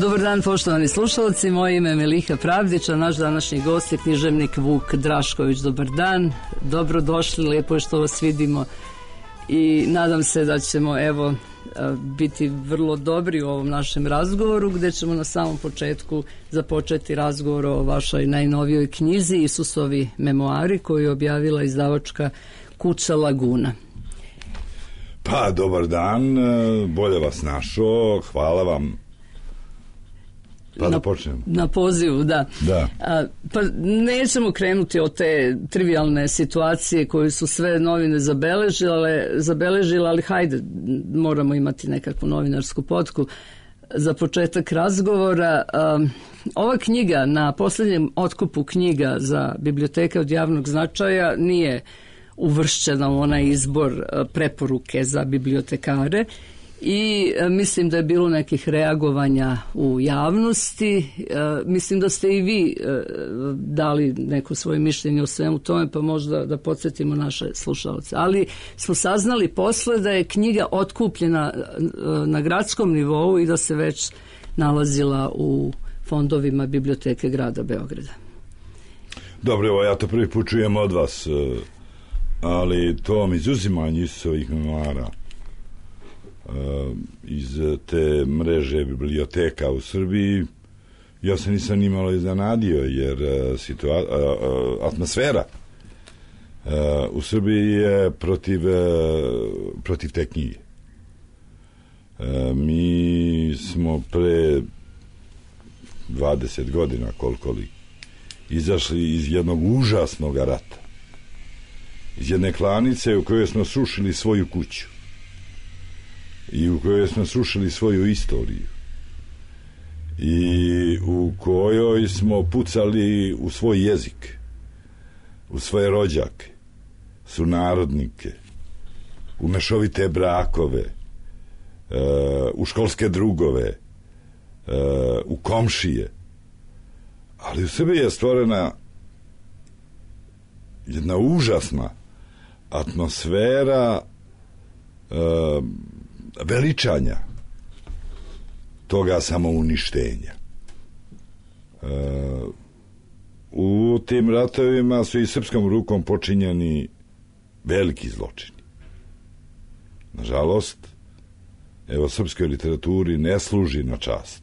Dobar dan, poštovani slušalci, moje ime je Meliha Pravdić, a naš današnji gost je književnik Vuk Drašković. Dobar dan, dobrodošli, lijepo je što vas vidimo i nadam se da ćemo biti vrlo dobri u ovom našem razgovoru, gdje ćemo na samom početku započeti razgovor o vašoj najnovijoj knjizi Isusovi memoari, koju je objavila izdavačka kuća Laguna. Pa, dobar dan, bolje vas našao, hvala vam. Pa da počnemo. Na pozivu, da. Pa nećemo krenuti od te trivialne situacije koju su sve novine zabeležile, ali hajde, moramo imati nekakvu novinarsku potku za početak razgovora. Ova knjiga na posljednjem otkupu knjiga za biblioteke od javnog značaja nije uvršćena u onaj izbor preporuke za bibliotekare i mislim da je bilo nekih reagovanja u javnosti. Mislim da ste i vi dali neko svoje mišljenje o svemu tome, pa možda da podsjetimo naše slušalce. Ali smo saznali posle da je knjiga otkupljena na gradskom nivou i da se već nalazila u fondovima biblioteke grada Beograda. Dobro, evo, ja to prvi put čujem od vas, ali to izuzimanje Isusovih memoara iz te mreže biblioteka u Srbiji, ja se nisam nimalo iznenadio, jer atmosfera u Srbiji je protiv te knjige. Mi smo pre 20 godina, koliko li, izašli iz jednog užasnog rata, iz jedne klanice u kojoj smo srušili svoju kuću i u kojoj smo srušili svoju istoriju i u kojoj smo pucali u svoj jezik, u svoje rođake, sunarodnike, u mešovite brakove, u školske drugove, u komšije. Ali u Srbiji je stvorena jedna užasna atmosfera veličanja toga samouništenja. U tim ratovima su i srpskom rukom počinjeni veliki zločini. Nažalost, evo, srpskoj literaturi ne služi na čast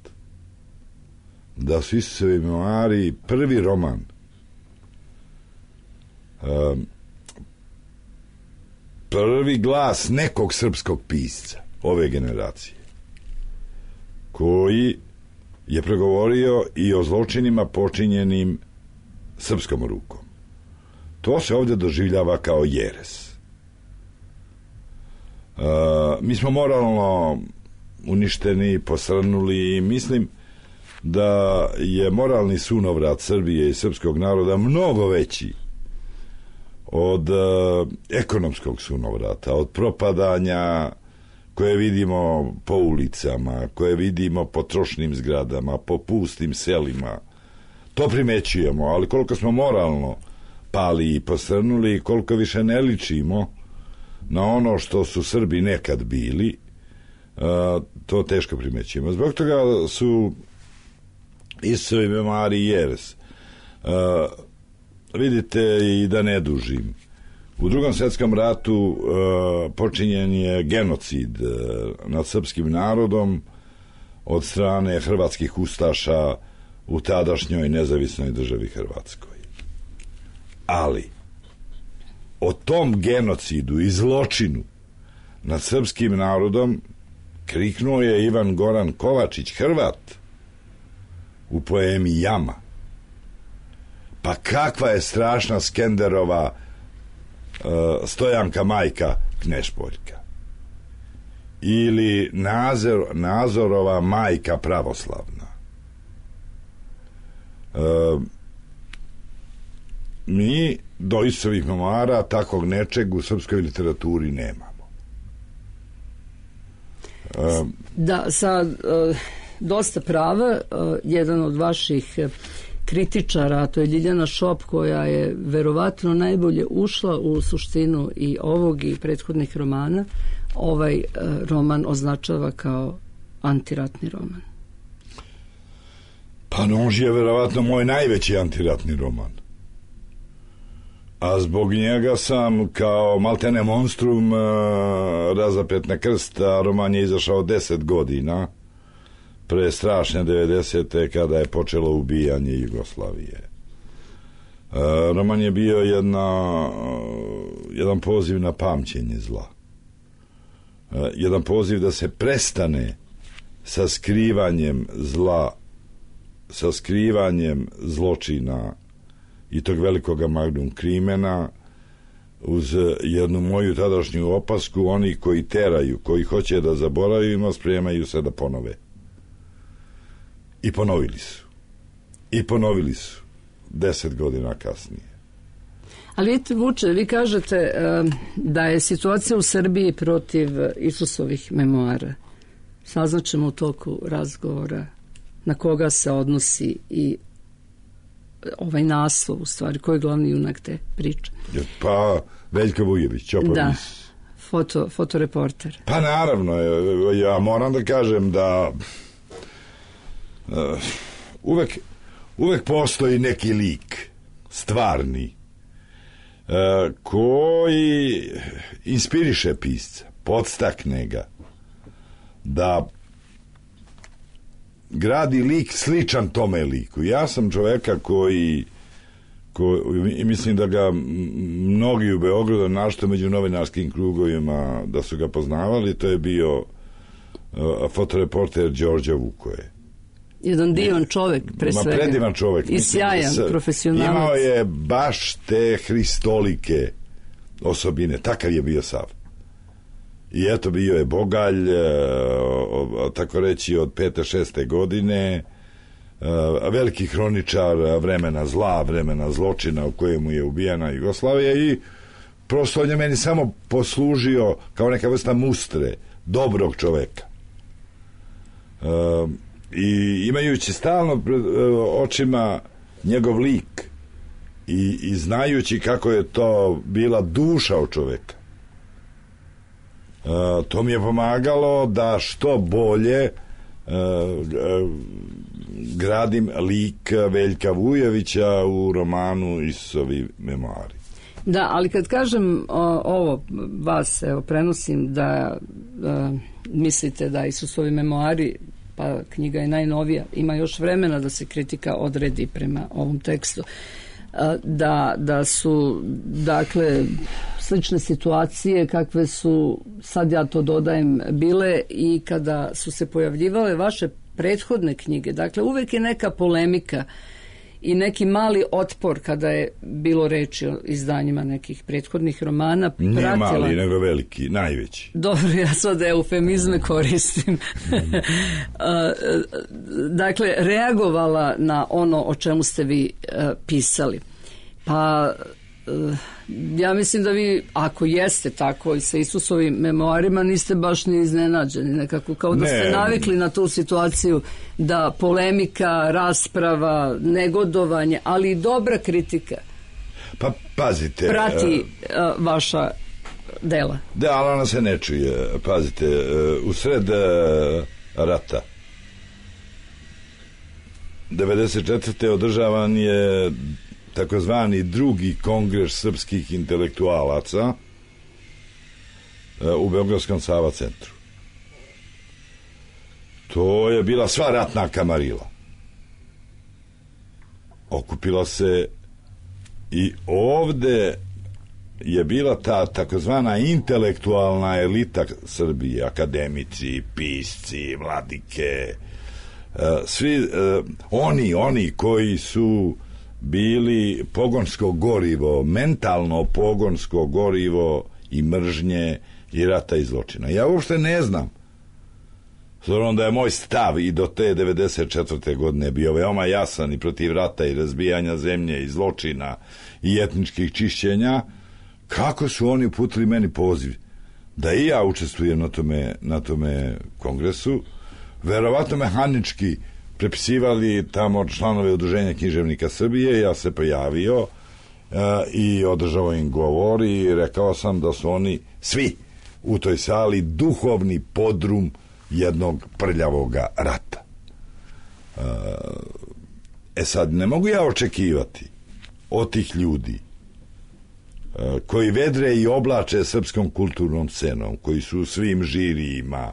da su Isusovi memoari prvi roman prvi glas nekog srpskog pisca ove generacije koji je pregovorio i o zločinima počinjenim srpskom rukom. To se ovdje doživljava kao jeres. Mi smo moralno uništeni, posrnuli i mislim da je moralni sunovrat Srbije i srpskog naroda mnogo veći od ekonomskog sunovrata, od propadanja koje vidimo po ulicama, koje vidimo po trošnim zgradama, po pustim selima. To primećujemo, ali koliko smo moralno pali i posrnuli, koliko više ne ličimo na ono što su Srbi nekad bili, to teško primećujemo. Zbog toga su Isusovi memoari jeres. Vidite, i da ne dužim, u Drugom svjetskom ratu počinjen je genocid nad srpskim narodom od strane hrvatskih ustaša u tadašnjoj nezavisnoj državi Hrvatskoj. Ali o tom genocidu i zločinu nad srpskim narodom kriknuo je Ivan Goran Kovačić, Hrvat, u poemi Jama. Pa kakva je strašna Skenderova Stojanka majka Knešpoljka ili Nazorova majka pravoslavna. Mi do Isusovih memoara takvog nečeg u srpskoj literaturi nemamo. Da, sa dosta prava, jedan od vaših kritičara, to je Ljiljana Šop, koja je verovatno najbolje ušla u suštinu i ovog i prethodnih romana, ovaj roman označava kao antiratni roman. Pa Nož je verovatno moj najveći antiratni roman. A zbog njega sam kao maltene monstrum razapet na krst, a roman je izašao 10 godina pre strašne 90. kada je počelo ubijanje Jugoslavije. Roman je bio jedan poziv na pamćenje zla. Jedan poziv da se prestane sa skrivanjem zla, sa skrivanjem zločina i tog velikog magnum krimena, uz jednu moju tadašnju opasku: oni koji teraju, koji hoće da zaboravimo, spremaju se da ponove. I ponovili su 10 godina kasnije. Ali vidite, Vuče, vi kažete da je situacija u Srbiji protiv Isusovih memoara. Saznaćemo u toku razgovora na koga se odnosi i ovaj naslov, u stvari, koji je glavni junak te priče. Pa Veljko Vujović, da, fotoreporter. Pa naravno, ja moram da kažem da uvek postoji neki lik stvarni koji inspiriše pisca, podstakne ga da gradi lik sličan tome liku. Ja sam čoveka koji mislim da ga mnogi u Beogradu, našto među novinarskim krugovima, da su ga poznavali, to je bio fotoreporter Đorđe Vukoje. Jedan divan čovek, pre svega. Predivan čovek. I sjajan profesionalac. Imao je baš te hristolike osobine. Takav je bio sav. I eto, bio je bogalj, tako reći, od 5. 6. godine, veliki hroničar vremena zla, vremena zločina u kojemu je ubijana Jugoslavija, i prosto on je meni samo poslužio kao neka vrsta mustre dobrog čoveka. I imajući stalno pred očima njegov lik i znajući kako je to bila duša od čoveka, to mi je pomagalo da što bolje gradim lik Veljka Vujovića u romanu Isusovi memoari. Da, ali kad kažem ovo, vas prenosim da mislite da Isusovi memoari, pa knjiga je najnovija, ima još vremena da se kritika odredi prema ovom tekstu, da su, dakle, slične situacije kakve su, sad ja to dodajem, bile i kada su se pojavljivale vaše prethodne knjige. Dakle, uvek je neka polemika i neki mali otpor kada je bilo reči o izdanjima nekih prethodnih romana. Nije mali, nego veliki, najveći. Dobro, ja sad eufemizme koristim. Dakle, reagovala na ono o čemu ste vi pisali. Pa ja mislim da vi, ako jeste tako i sa Isusovim memoarima, niste baš ni iznenađeni, nekako kao da ste navikli na tu situaciju, da polemika, rasprava, negodovanje, ali i dobra kritika, pa pazite, prati vaša dela. Da, ali ona se ne čuje. Pazite, usred rata 94. održavan je takozvani drugi kongres srpskih intelektualaca u Beogradskom Sava centru. To je bila sva ratna kamarila. Okupila se i ovde je bila ta takozvana intelektualna elita Srbije, akademici, pisci, vladike, svi oni koji su bili pogonsko gorivo, mentalno pogonsko gorivo i mržnje i rata i zločina. Ja uopšte ne znam, s obzirom da je moj stav i do te 94. godine bio veoma jasan i protiv rata i razbijanja zemlje i zločina i etničkih čišćenja, kako su oni uputili meni poziv da i ja učestvujem na tome kongresu. Verovatno mehanički prepisivali tamo članove Udruženja književnika Srbije. Ja se pojavio i održao im govor i rekao sam da su oni svi u toj sali duhovni podrum jednog prljavoga rata. sad, ne mogu ja očekivati od tih ljudi koji vedre i oblače srpskom kulturnom scenom, koji su u svim žirijima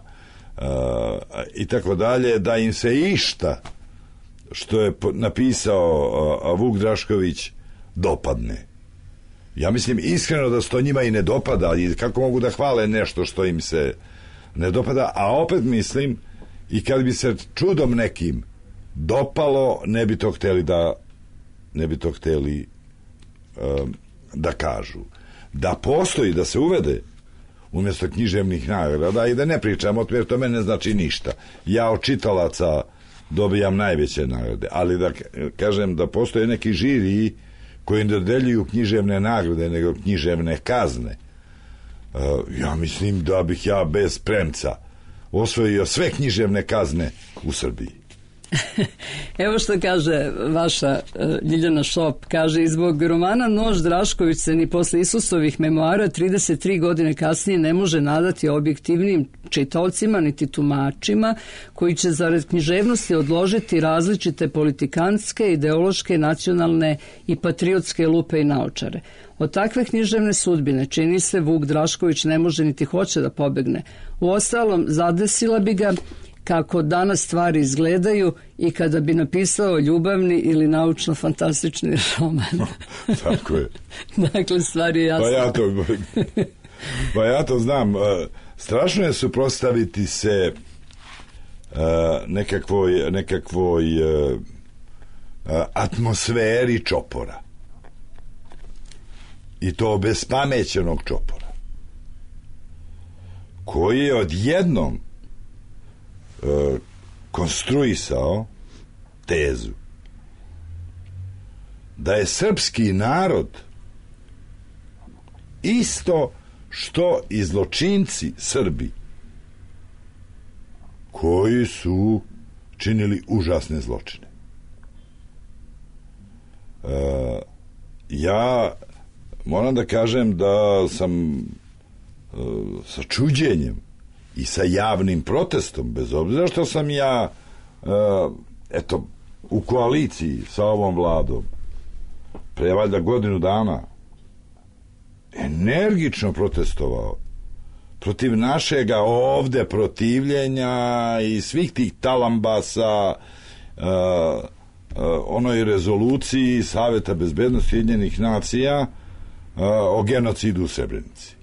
i tako dalje, da im se išta što je napisao Vuk Drašković dopadne. Ja mislim iskreno da se to njima i ne dopada, i kako mogu da hvale nešto što im se ne dopada, a opet mislim, i kad bi se čudom nekim dopalo, ne bi to hteli da kažu. Da postoji, da se uvede umjesto književnih nagrada, i da ne pričam o tome, jer to mene ne znači ništa. Ja od čitalaca dobijam najveće nagrade, ali da kažem da postoje neki žiriji koji ne dodeljuju književne nagrade, nego književne kazne. Ja mislim da bih ja bez premca osvojio sve književne kazne u Srbiji. Evo što kaže vaša Ljiljana Šop, kaže: i zbog romana Nož Drašković se ni posle Isusovih memoara 33 godine kasnije ne može nadati objektivnim čitaocima niti tumačima koji će zarad književnosti odložiti različite politikantske, ideološke, nacionalne i patriotske lupe i naočare. Od takve književne sudbine čini se Vuk Drašković ne može niti hoće da pobegne. Uostalom, zadesila bi ga kako danas stvari izgledaju i kada bi napisao ljubavni ili naučno-fantastični roman. Tako je. Dakle, stvar je jasna. Pa ja to znam. Strašno je suprotstaviti se nekakvoj atmosferi čopora. I to obespamećenog čopora. Koji je odjednom konstruisao tezu da je srpski narod isto što i zločinci Srbi koji su činili užasne zločine. Ja moram da kažem da sam sa čuđenjem i sa javnim protestom, bez obzira što sam ja u koaliciji sa ovom vladom pre valjda godinu dana energično protestovao protiv našega ovde protivljenja i svih tih talambasa onoj rezoluciji Saveta bezbednosti Ujedinjenih nacija o genocidu u Srebrenici.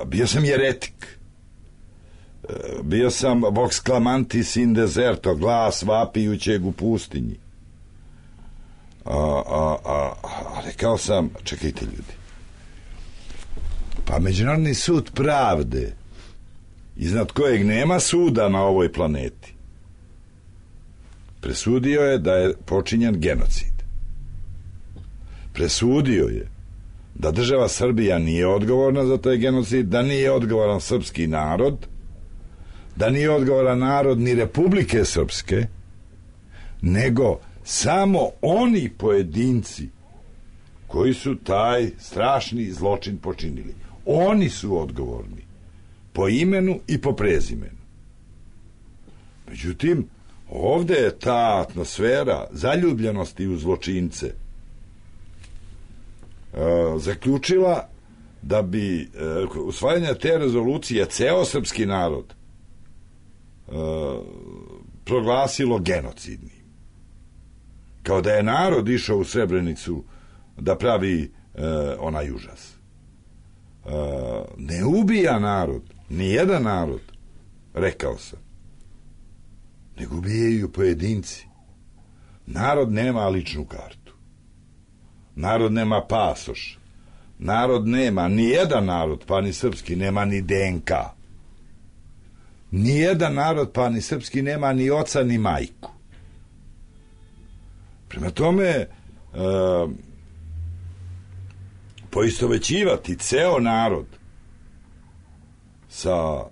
Bio sam jeretik, bio sam vox clamantis in deserto, glas vapijućeg u pustinji, a rekao sam: čekajte ljudi, pa Međunarodni sud pravde, iznad kojeg nema suda na ovoj planeti, presudio je da je počinjen genocid. Presudio je da država Srbija nije odgovorna za taj genocid, da nije odgovoran srpski narod, da nije odgovoran narod ni Republike Srpske, nego samo oni pojedinci koji su taj strašni zločin počinili. Oni su odgovorni po imenu i po prezimenu. Međutim, ovde je ta atmosfera zaljubljenosti u zločince zaključila da bi usvajanje te rezolucije ceo srpski narod proglasilo genocidnim. Kao da je narod išao u Srebrenicu da pravi onaj užas. Ne ubija narod, ni jedan narod, rekao sam, nego ubijaju pojedinci. Narod nema ličnu kartu. Narod nema pasoš. Narod nema, ni jedan narod, pa ni srpski, nema ni DNK. Ni jedan narod, pa ni srpski, nema ni oca ni majku. Prema tome, poistovećivati ceo narod sa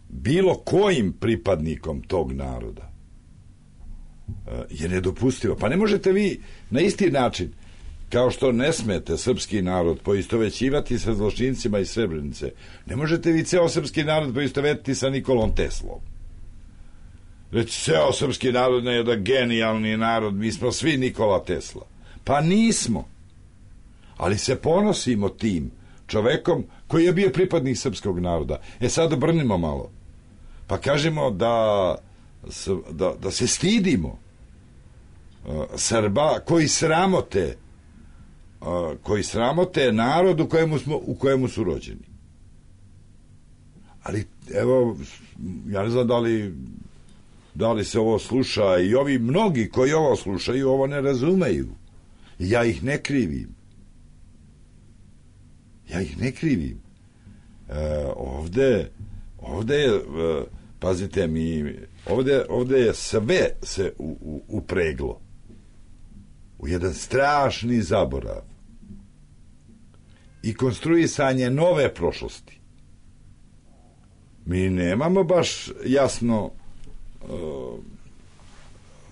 bilo kojim pripadnikom tog naroda je nedopustivo. Pa ne možete vi na isti način, kao što ne smete srpski narod poistovećivati sa zločincima iz Srebrenice, ne možete vi ceo srpski narod poistovetiti sa Nikolom Teslom. reći ceo srpski narod je da genijalni narod, mi smo svi Nikola Tesla. Pa nismo. Ali se ponosimo tim čovekom koji je bio pripadnik srpskog naroda. Sad obrnimo malo. Pa kažemo da se stidimo Srba koji sramote narod u kojemu su rođeni. Ali evo, ja ne znam da li se ovo sluša, i ovi mnogi koji ovo slušaju ovo ne razumeju. Ja ih ne krivim. Ovde je, pazite mi, ovde je sve se upreglo u jedan strašni zaborav i konstruisanje nove prošlosti. Mi nemamo baš jasno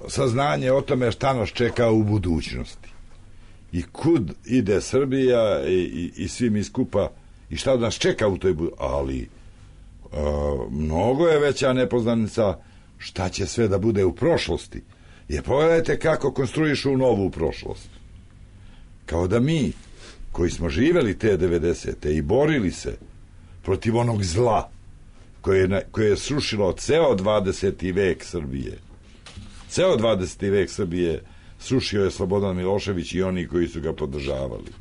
saznanje o tome šta nas čeka u budućnosti i kud ide Srbija i svi mi skupa i šta nas čeka u toj budućnosti. Ali mnogo je veća nepoznanica šta će sve da bude u prošlosti. Jer pogledajte kako konstruišu novu prošlost. Kao da mi koji smo živeli te 90. i borili se protiv onog zla koje je srušilo ceo 20. vek Srbije. Ceo 20. vek Srbije srušio je Slobodan Milošević i oni koji su ga podržavali.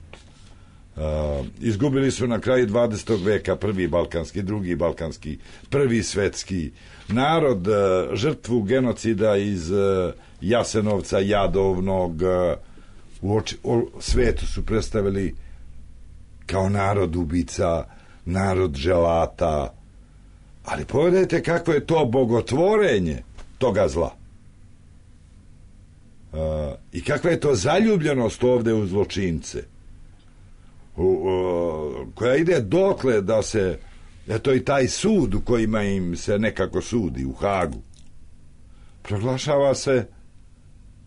Izgubili su na kraju 20. veka prvi balkanski, drugi balkanski, prvi svetski narod, žrtvu genocida iz Jasenovca, Jadovnog, u svetu su predstavili kao narod ubica, narod želata. Ali pogledajte kako je to bogotvorenje toga zla. I kakva je to zaljubljenost ovde u zločince, koja ide dokle da se, eto i taj sud u kojima im se nekako sudi u Hagu, proglašava se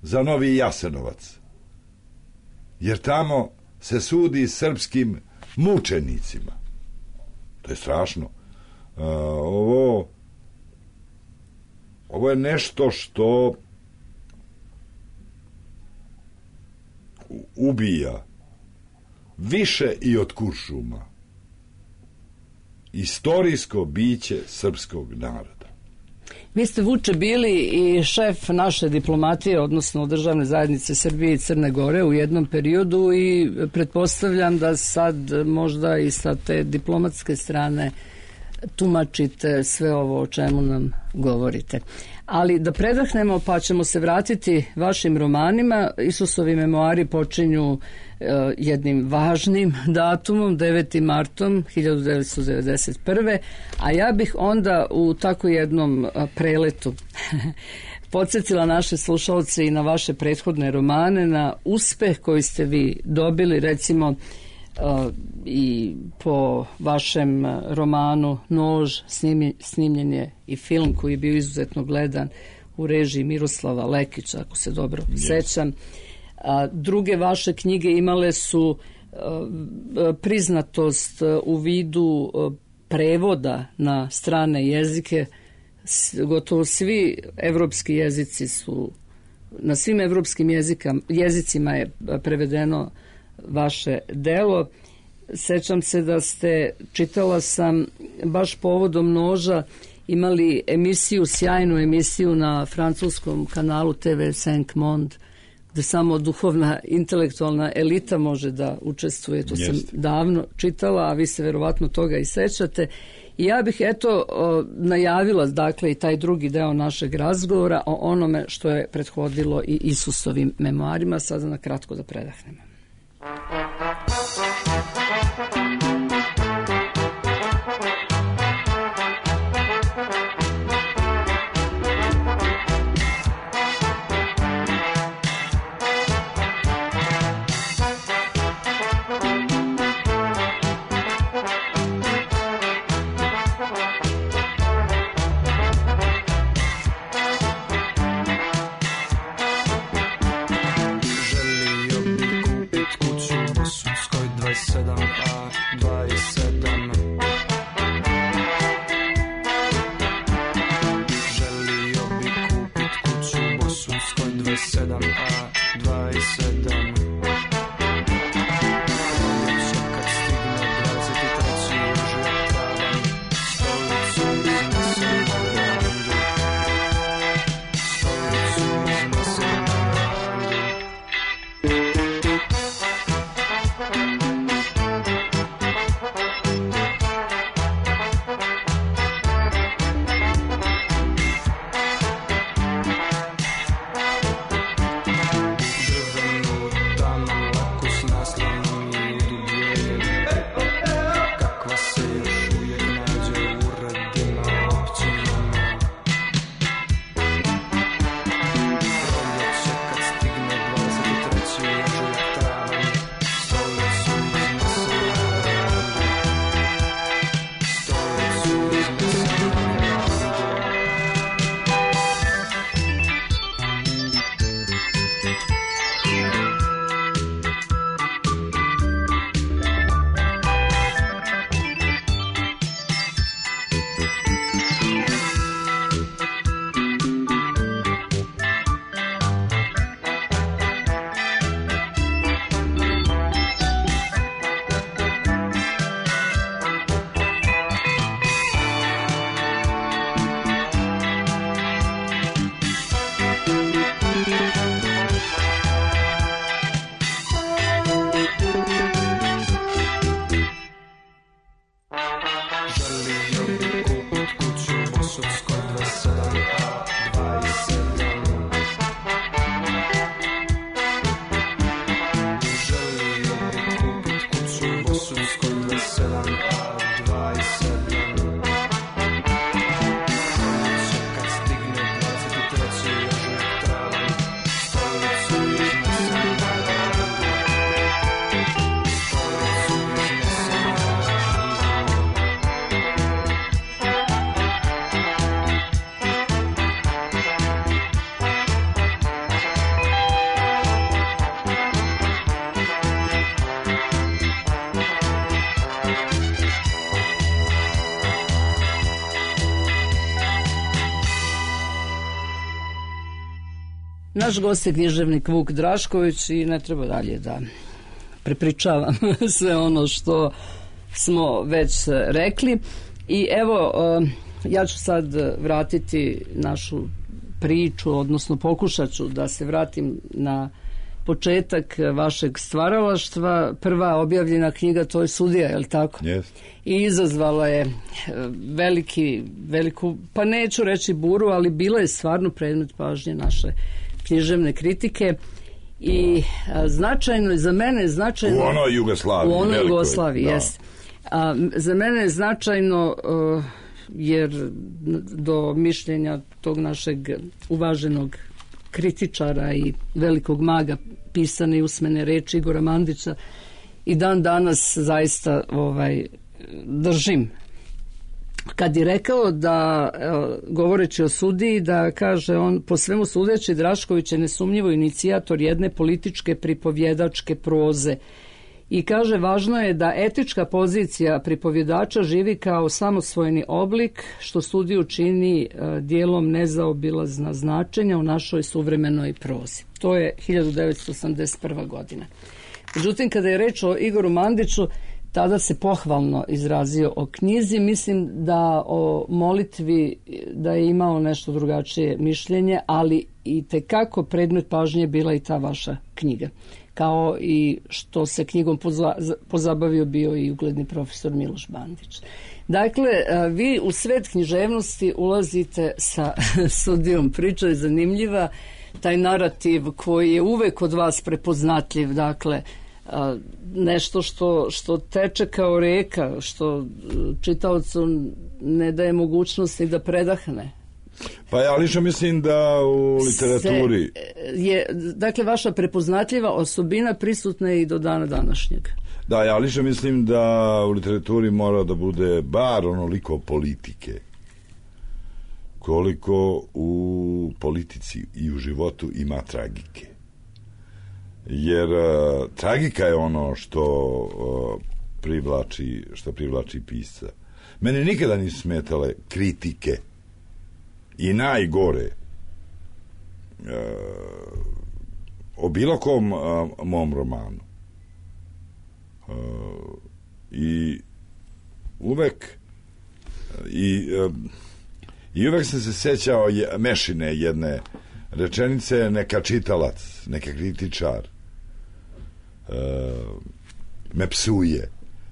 za novi Jasenovac, jer tamo se sudi srpskim mučenicima. To je strašno. Ovo je nešto što ubija više i od kuršuma istorijsko biće srpskog naroda. Vi ste, Vuče, bili i šef naše diplomatije, odnosno državne zajednice Srbije i Crne Gore u jednom periodu i pretpostavljam da sad možda i sa te diplomatske strane tumačite sve ovo o čemu nam govorite. Ali da predahnemo, pa ćemo se vratiti vašim romanima. Isusovi memoari počinju jednim važnim datumom, 9. martom 1991. A ja bih onda u tako jednom preletu podsjetila naše slušalce i na vaše prethodne romane, na uspeh koji ste vi dobili, recimo i po vašem romanu Nož snimljen je i film koji je bio izuzetno gledan u režiji Miroslava Lekića, ako se dobro sećam. Druge vaše knjige imale su priznatost u vidu prevoda na strane jezike. Gotovo svi evropski jezici su, na svim evropskim jezicima je prevedeno vaše delo. Sećam se da ste, čitala sam, baš povodom Noža imali emisiju, sjajnu emisiju na francuskom kanalu TV 5 Monde, gde samo duhovna, intelektualna elita može da učestvuje. To sam davno čitala, a vi se verovatno toga i sećate. I ja bih najavila, dakle, i taj drugi deo našeg razgovora o onome što je prethodilo i Isusovim memoarima. Sada na kratko da predahnemo. Želio bi kupit kuću 27A27. Naš gost je književnik Vuk Drašković i ne treba dalje da prepričavam sve ono što smo već rekli. I evo, ja ću sad vratiti našu priču, odnosno pokušat ću da se vratim na početak vašeg stvaralaštva. Prva objavljena knjiga, to je Sudija, je li tako? Yes. I izazvala je veliku, pa neću reći buru, ali bila je stvarno predmet pažnje naše književne kritike i značajno je, za mene je značajno... U onoj Jugoslaviji. U onoj velikoj, Jugoslaviji, jest. Za mene je značajno jer do mišljenja tog našeg uvaženog kritičara i velikog maga pisane i usmene reči Igora Mandića i dan danas zaista držim. Kad je rekao da, govoreći o Sudiji, da kaže on, po svemu sudeći, Drašković je nesumnjivo inicijator jedne političke pripovjedačke proze. I kaže, važno je da etička pozicija pripovjedača živi kao samosvojni oblik, što Sudiju čini dijelom nezaobilazna značenja u našoj suvremenoj prozi. To je 1981. godina. Međutim, kada je reč o Igoru Mandiću, tada se pohvalno izrazio o knjizi. Mislim da o molitvi da je imao nešto drugačije mišljenje, ali i tekako predmet pažnje bila i ta vaša knjiga. Kao i što se knjigom pozabavio bio i ugledni profesor Miloš Bandić. Dakle, vi u svet književnosti ulazite sa Sudijom. Priča je zanimljiva, taj narativ koji je uvek od vas prepoznatljiv, dakle, nešto što teče kao reka, što čitaocu ne daje mogućnosti da predahne. Pa ja lično mislim da u literaturi je, dakle, vaša prepoznatljiva osobina prisutna je i do dana današnjeg. Da, ja lično mislim da u literaturi mora da bude bar onoliko politike koliko u politici i u životu ima tragike. Jer tragika je ono što privlači pisca. Mene nikada nisu smetale kritike i najgore o bilo kom mom romanu. I uvek uvek sam se sećao Mešine jedne rečenice: neka čitalac, neka kritičar me psuje,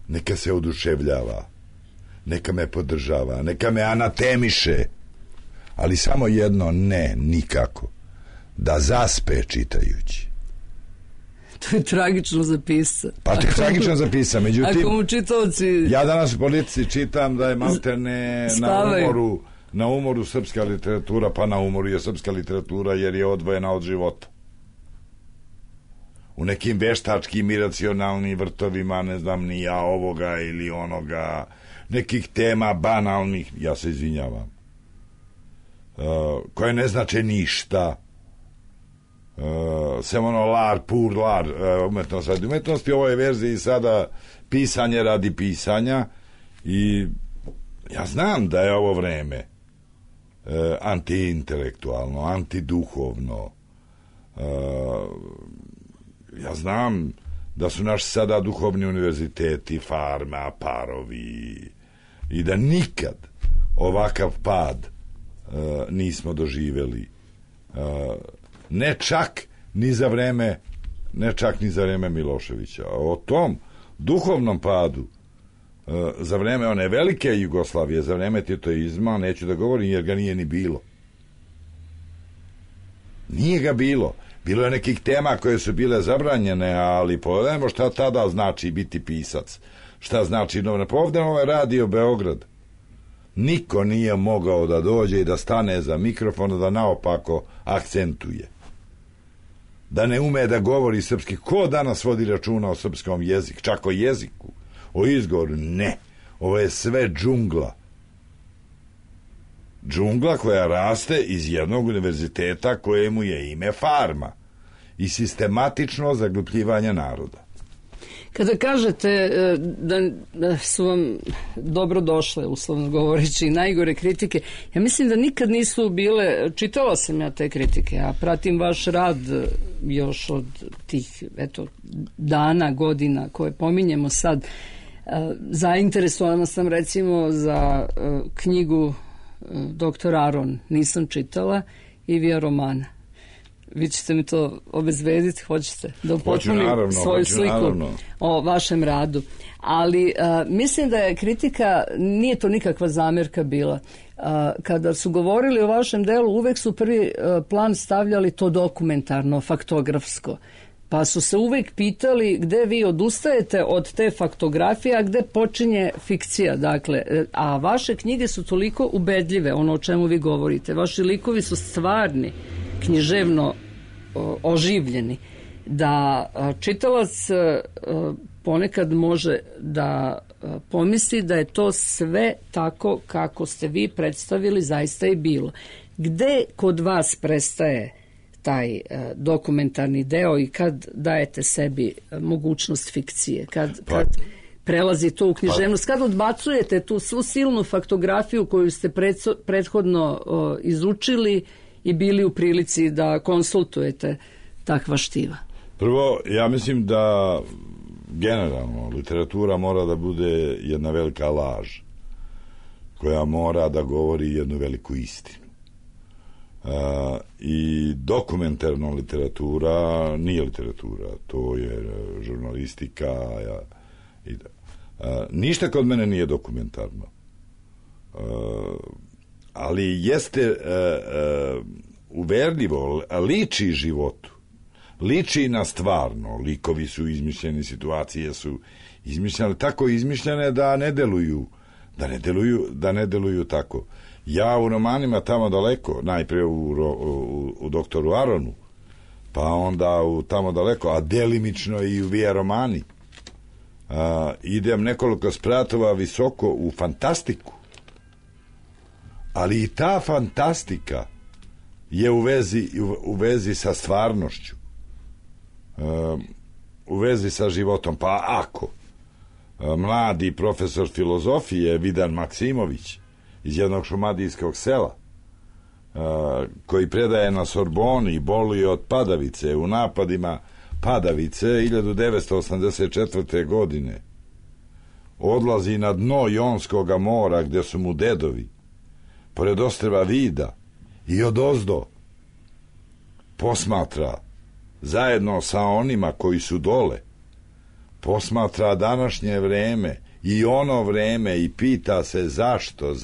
neka se oduševljava, neka me podržava, neka me anatemiše, ali samo jedno ne, nikako, da zaspe čitajući. To je tragično za pisca. Pa to je tragično za pisca, međutim, ako mu čitaoci... Ja danas u politici čitam da je maltene na umoru srpska literatura, pa na umoru je srpska literatura jer je odvojena od života. U nekim veštačkim iracionalnim vrtovima, ne znam ni ja, ovoga ili onoga, nekih tema banalnih, ja se izvinjavam, koje ne znače ništa, sem ono lar, pur lar, umetnost radi umetnosti. U ovoj verziji sada pisanje radi pisanja, i ja znam da je ovo vreme antiintelektualno, antiduhovno. Ja znam da su naši sada duhovni univerziteti farma, parovi, i da nikad ovakav pad nismo doživjeli, ne čak ni za vreme Miloševića. O tom duhovnom padu za vreme one velike Jugoslavije, za vreme titoizma, neću da govorim jer ga nije ni bilo. Nije ga bilo. Bilo je nekih tema koje su bile zabranjene, ali pogledajmo šta tada znači biti pisac. Šta znači novinar. Pa ovdje ovaj Radio Beograd. Niko nije mogao da dođe i da stane za mikrofon, da naopako akcentuje. Da ne ume da govori srpski. Ko danas vodi računa o srpskom jeziku? Čak o jeziku? O izgovoru? Ne. Ovo je sve džungla. Džungla koja raste iz jednog univerziteta kojemu je ime farma i sistematično zaglupljivanje naroda. Kada kažete da su vam dobro došle, uslovno govoreći, najgore kritike, ja mislim da nikad nisu bile, čitala sam ja te kritike, a pratim vaš rad još od tih dana, godina koje pominjemo sad. Zainteresovana sam recimo za knjigu Doktor Aron, nisam čitala, Ivija romana. Vi ćete mi to obezbediti, hoćete da upotpunim svoju sliku o vašem radu. Ali mislim da je kritika, nije to nikakva zamjerka bila. Kada su govorili o vašem delu, uvek su prvi plan stavljali to dokumentarno, faktografsko. Pa su se uvek pitali gde vi odustajete od te faktografije, a gde počinje fikcija. Dakle, a vaše knjige su toliko ubedljive, ono o čemu vi govorite. Vaši likovi su stvarni, književno oživljeni, da čitalac ponekad može da pomisli da je to sve tako kako ste vi predstavili, zaista i bilo. Gde kod vas prestaje taj dokumentarni deo i kad dajete sebi mogućnost fikcije, kad prelazi to u književnost, kad odbacujete tu svu silnu faktografiju koju ste prethodno izučili i bili u prilici da konsultujete takva štiva? Prvo, ja mislim da generalno literatura mora da bude jedna velika laž koja mora da govori jednu veliku istinu. I dokumentarna literatura nije literatura, to je žurnalistika. Ništa kod mene nije dokumentarno, ali jeste uverljivo, liči životu, liči na stvarno. Likovi su izmišljeni, situacije su izmišljene, tako izmišljene da ne deluju tako. Ja u romanima Tamo daleko, najprije u Doktoru Aronu, pa onda u Tamo daleko, a delimično i u Via romani, idem nekoliko spratova visoko u fantastiku, ali i ta fantastika je u vezi sa stvarnošću, u vezi sa životom. Pa ako mladi profesor filozofije Vidan Maksimović iz jednog šumadijskog sela koji predaje na Sorboni, boli od padavice, u napadima padavice 1984. godine odlazi na dno Jonskoga mora gdje su mu dedovi, pored ostrva Vida, i odozdo posmatra zajedno sa onima koji su dole, posmatra današnje vreme i ono vreme i pita se zašto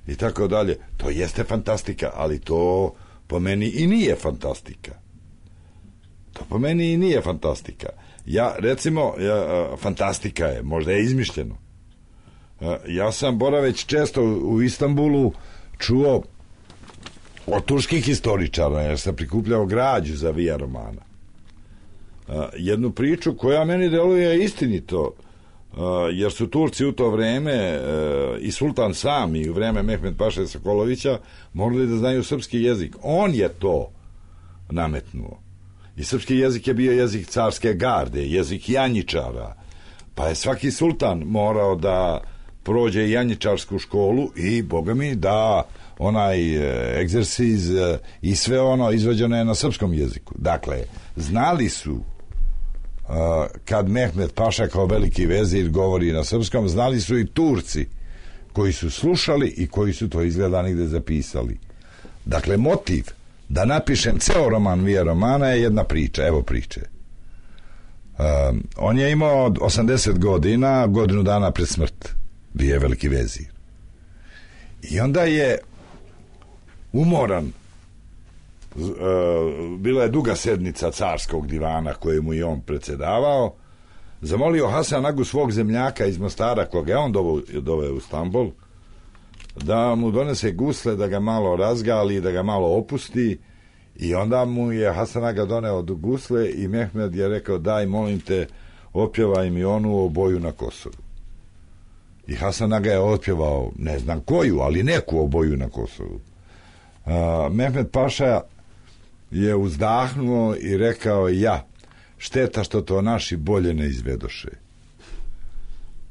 i tako dalje. To jeste fantastika, ali to po meni i nije fantastika. Ja, recimo, fantastika je, možda je izmišljeno. Ja sam boraveć često u Istanbulu čuo od turskih historičara, jer sam prikupljao građu za Via Romana, jednu priču koja meni deluje istinito, jer su Turci u to vreme i sultan sam i u vreme Mehmed Paše Sokolovića morali da znaju srpski jezik. On je to nametnuo. I srpski jezik je bio jezik carske garde, jezik janjičara, pa je svaki sultan morao da prođe janjičarsku školu i, boga mi, da onaj egzersiz i sve ono izvođeno je na srpskom jeziku. Dakle, znali su kad Mehmed Paša kao veliki vezir govori na srpskom, znali su i Turci koji su slušali i koji su to izgleda nigde zapisali. Dakle, motiv da napišem ceo roman Via Romana je jedna priča. Evo priče. On je imao 80 godina, godinu dana pred smrt. Bio je veliki vezir. I onda je umoran. Bila je duga sednica carskog divana kojemu je on predsjedavao. Zamolio Hasan Agu, svog zemljaka iz Mostara, koga je on doveo u Stambol, da mu donese gusle, da ga malo razgali, da ga malo opusti. I onda mu je Hasan Aga doneo gusle i Mehmed je rekao: daj, molim te, opjevaj mi onu o boju na Kosovu. I Hasan Aga je otpjevao, ne znam koju, ali neku o boju na Kosovu. Mehmed Paša je uzdahnuo i rekao: ja, šteta što to naši bolje ne izvedoše.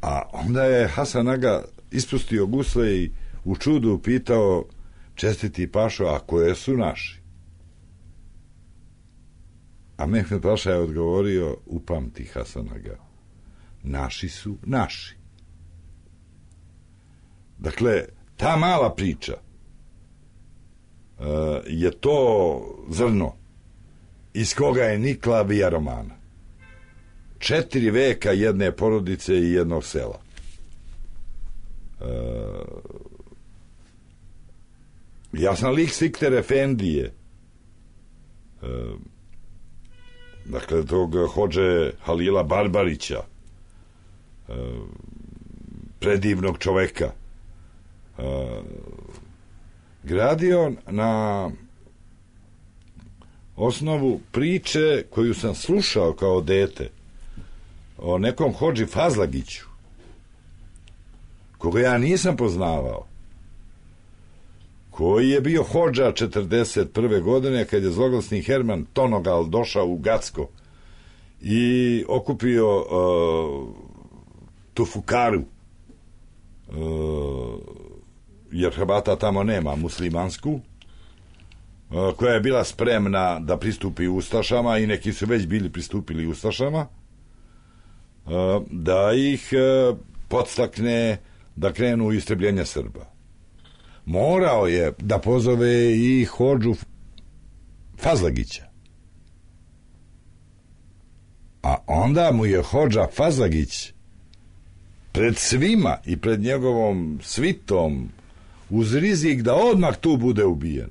A onda je Hasan Aga ispustio gusle i u čudu pitao: čestiti Pašo, a koje su naši? A Mehmed Paša je odgovorio: upamti, Hasan Aga, naši su naši. Dakle, ta mala priča je to zrno iz koga je nikla Via Romana. 4 veka jedne porodice i jednog sela. Ja sam lik Sikter Efendije, dakle tog hodže Halila Barbarića, predivnog čoveka, gradio na osnovu priče koju sam slušao kao dete o nekom hodži Fazlagiću, koga ja nisam poznavao, koji je bio hodža 41. godine kad je zloglasni Herman Tonogal došao u Gacko i okupio tu fukaru, jer Hrvata tamo nema, muslimansku, koja je bila spremna da pristupi ustašama i neki su već bili pristupili ustašama, da ih podstakne da krenu u istrebljenje Srba. Morao je da pozove i hodžu Fazlagića. A onda mu je hodža Fazlagić pred svima i pred njegovom svitom, uz rizik da odmah tu bude ubijen,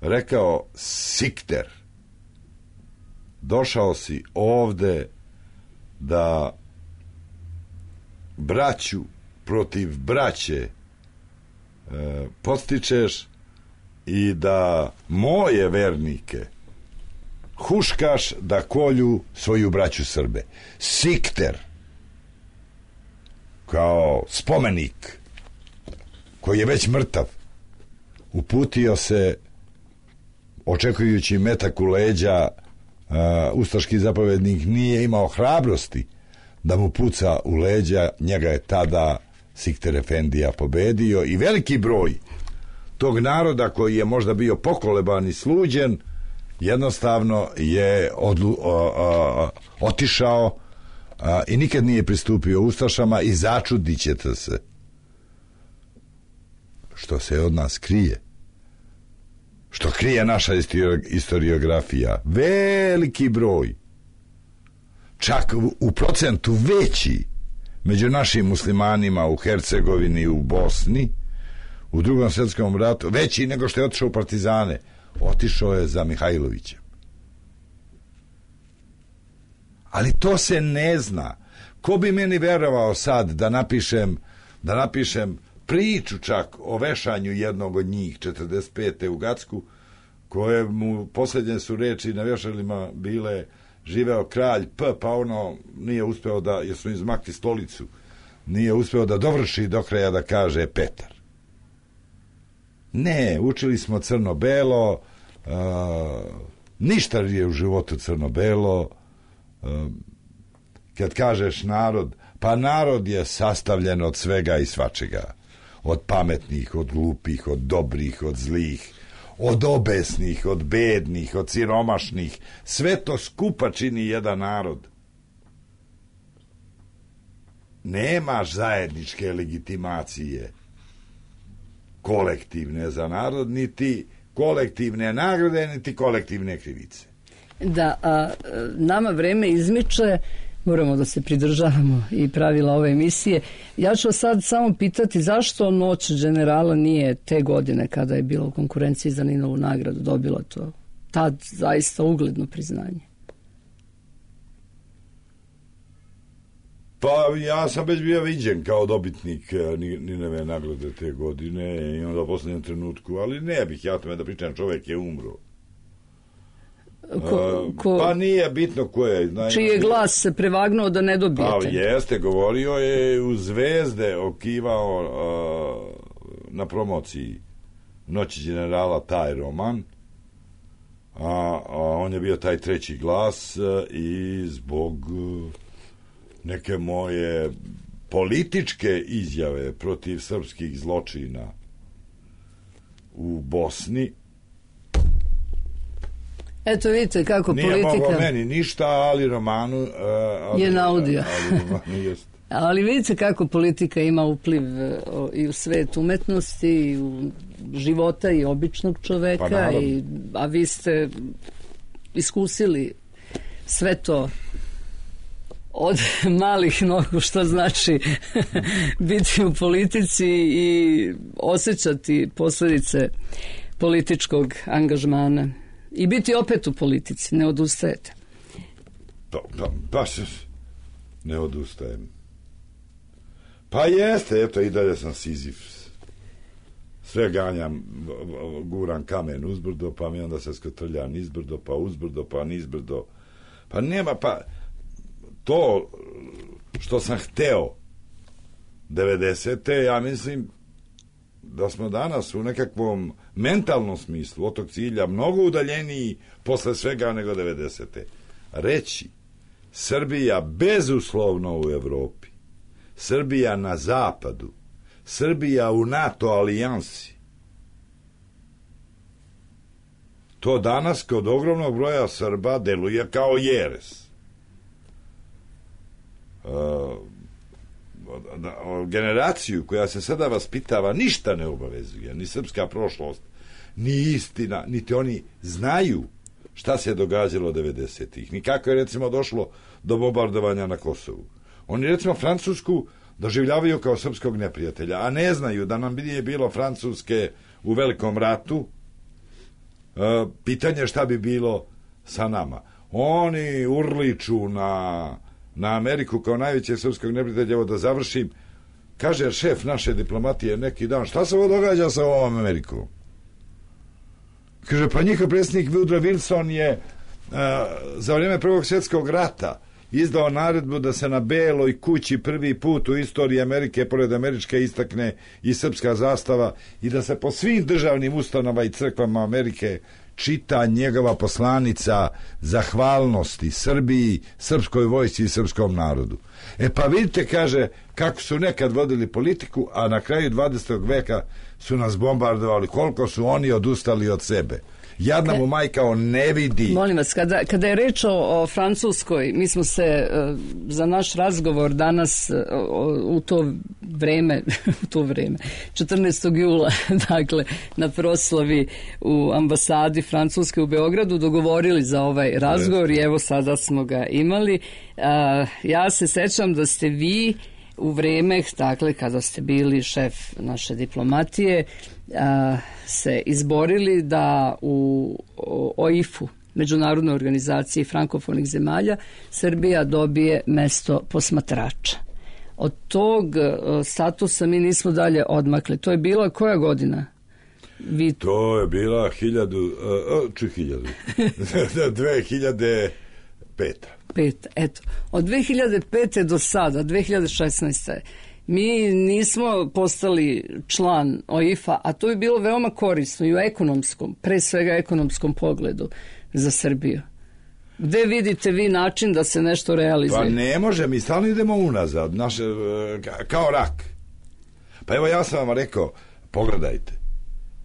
rekao: Sikter, došao si ovde da braću protiv braće podstičeš i da moje vernike huškaš da kolju svoju braću Srbe. Sikter kao spomenik koji je već mrtav uputio se, očekujući metak u leđa. Ustaški zapovednik nije imao hrabrosti da mu puca u leđa. Njega je tada Sikter Efendija pobedio i veliki broj tog naroda koji je možda bio pokoleban i sluđen, jednostavno je otišao i nikad nije pristupio ustašama i začudit ćete se što se od nas krije, što krije naša historiografija. Veliki broj, čak u procentu veći među našim muslimanima u Hercegovini, u Bosni, u Drugom svjetskom ratu, veći nego što je otišao u partizane, otišao je za Mihajlovića. Ali to se ne zna. Ko bi meni verovao sad da napišem priču čak o vešanju jednog od njih 45. u Gacku, koje mu posljednje su reči na vešalima bile živeo kralj P, pa ono nije uspeo da, jer su izmakli stolicu, nije uspeo da dovrši do kraja da kaže Petar. Ne, učili smo crno-belo, ništa je u životu crno-belo. Kad kažeš narod, pa narod je sastavljen od svega i svačega, od pametnih, od glupih, od dobrih, od zlih, od obesnih, od bednih, od siromašnih. Sve to skupa čini jedan narod. Nemaš zajedničke legitimacije kolektivne za narod, niti kolektivne nagrade, niti kolektivne krivice. Da, nama vreme izmiče, moramo da se pridržavamo i pravila ove emisije. Ja ću sad samo pitati zašto Noć generala nije te godine kada je bilo u konkurenciji za Ninovu nagradu dobila to tad zaista ugledno priznanje. Pa ja sam već bio viđen kao dobitnik Ninove nagrade te godine i onda u posljednjem trenutku, ali ne bih ja tome da pričam, čovjek je umro. Pa nije bitno ko je. Čiji je glas se prevagnuo da ne dobijete? Pa jeste, govorio je u Zvezde, okivao na promociji Noći generala taj roman, a on je bio taj treći glas i zbog neke moje političke izjave protiv srpskih zločina u Bosni. Eto vidite kako nije politika... Nije mogao meni ništa, ali romanu... je naudio. Jest. Ali vidite kako politika ima upliv i u svet umetnosti, i u života i običnog čoveka, pa a vi ste iskusili sve to od malih nogu, što znači biti u politici i osjećati posljedice političkog angažmana i biti opet u politici, ne odustajete. Baš ne odustajem. Pa jeste, eto i dalje sam Sizif. Sve ganjam, guram kamen uzbrdo, pa mi onda se skotrljam nizbrdo, pa uzbrdo, pa nizbrdo. Pa nema, pa to što sam hteo 90. ja mislim da smo danas u nekakvom mentalnom smislu od tog cilja mnogo udaljeniji posle svega nego 90. Reći Srbija bezuslovno u Evropi, Srbija na zapadu, Srbija u NATO alijansi, to danas kod ogromnog broja Srba deluje kao jeres. Generaciju koja se sada vaspitava ništa ne obavezuje, ni srpska prošlost, ni istina, niti oni znaju šta se događalo 90-ih, ni kako je recimo došlo do bombardovanja na Kosovu. Oni recimo Francusku doživljavaju kao srpskog neprijatelja, a ne znaju da nam nije bilo Francuske u Velikom ratu. Pitanje šta bi bilo sa nama. Oni urliču na Ameriku kao najveće srpskog neprijatelja. Evo da završim, kaže šef naše diplomatije neki dan, šta se ovo događa sa ovom Amerikom? Kaže, pa njihov predsjednik Woodrow Wilson je za vrijeme Prvog svjetskog rata izdao naredbu da se na Beloj kući prvi put u istoriji Amerike pored američke istakne i srpska zastava i da se po svim državnim ustanovama i crkvama Amerike čita njegova poslanica zahvalnosti Srbiji, srpskoj vojsci i srpskom narodu. Pa vidite, kaže, kako su nekad vodili politiku, a na kraju 20. veka su nas bombardovali, koliko su oni odustali od sebe. Jadna mu majka, on ne vidi. Molim vas, kada je reč o Francuskoj, mi smo se za naš razgovor danas u to vreme 14. jula, dakle, na proslavi u ambasadi Francuske u Beogradu dogovorili za ovaj razgovor i evo sada smo ga imali. Ja se sećam da ste vi u vreme, dakle, kada ste bili šef naše diplomatije, se izborili da u OIF-u, Međunarodnoj organizaciji frankofonih zemalja, Srbija dobije mesto posmatrača. Od tog statusa mi nismo dalje odmakli. To je bila koja godina? To je bila 2005. Eto, od 2005. do sada, 2016. mi nismo postali član OIF-a, a to je bilo veoma korisno i u ekonomskom, pre svega ekonomskom pogledu za Srbiju. Gde vidite vi način da se nešto realizuje? Pa ne može, mi stalno idemo unazad, kao rak. Pa evo ja sam vam rekao, pogledajte.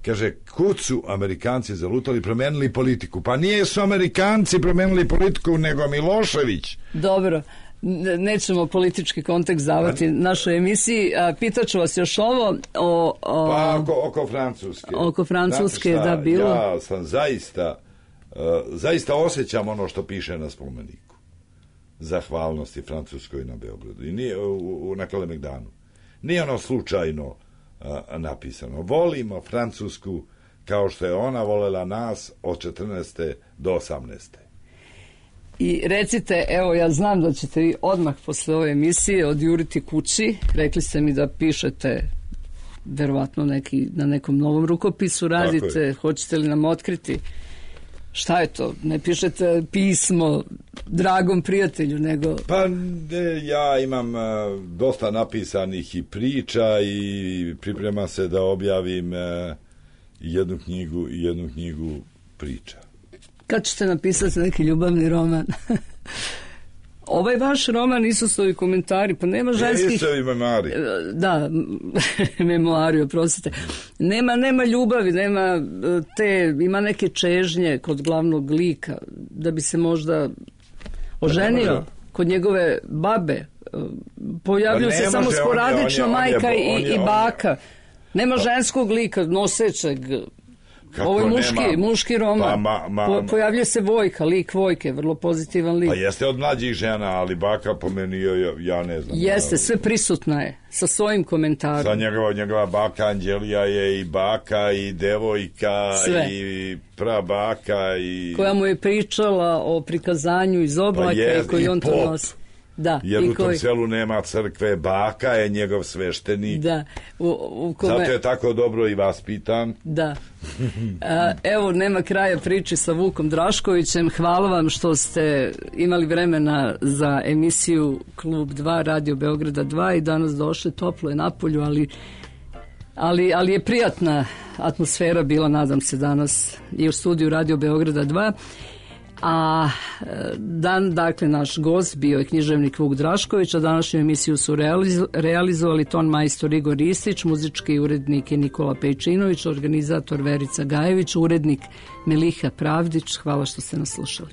Kaže, kud su Amerikanci zalutali, promenili politiku? Pa nije su Amerikanci promenili politiku, nego Milošević. Dobro, nećemo politički kontekst davati našoj emisiji. Pitaću vas još ovo pa oko Francuske. Oko Francuske, da, bilo. Ja sam zaista osjećam ono što piše na spomeniku. Zahvalnosti Francuskoj na Beogradu. I nije na Kalemegdanu. Nije ono slučajno napisano. Volimo Francusku kao što je ona volela nas od 14. do 18. I recite, evo ja znam da ćete vi odmah posle ove emisije odjuriti kući. Rekli ste mi da pišete verovatno na nekom novom rukopisu radite. Hoćete li nam otkriti šta je to? Ne pišete pismo dragom prijatelju, nego... Pa ja imam dosta napisanih i priča i priprema se da objavim jednu knjigu priča. Kad ćete napisati neki ljubavni roman? Ovaj vaš roman Isusovi komentari, pa nema ženskih... Isusovi memari. Da, memoari, oprostite. Nema ljubavi, ima neke čežnje kod glavnog lika, da bi se možda oženio kod njegove babe. Pojavljuju se samo sporadično majka i baka. Nema ženskog lika, nosećeg... Ovo je muški roman. Pojavljuje se Vojka, lik Vojke, vrlo pozitivan lik. Pa jeste od mlađih žena, ali baka po meni, ja ne znam. Jeste, sve prisutna je, sa svojim komentarom. Sa njegova baka Anđelija je i baka i devojka, sve. I prabaka. Koja mu je pričala o prikazanju iz oblaka i koji on to nosi. Da, jer u tom selu nema crkve, baka je njegov sveštenik. Da. Zato je tako dobro i vaspitan. Da. Evo, nema kraja priči sa Vukom Draškovićem. Hvala vam što ste imali vremena za emisiju Klub 2, Radio Beograda 2 i danas došli, toplo je napolju, ali je prijatna atmosfera bila, nadam se, danas i u studiju Radio Beograda 2. A dakle, naš gost bio je književnik Vuk Drašković, a današnju emisiju su realizovali ton majstor Igor Ristić, muzički urednik je Nikola Pejčinović, organizator Verica Gajević, urednik Meliha Pravdić. Hvala što ste nas slušali.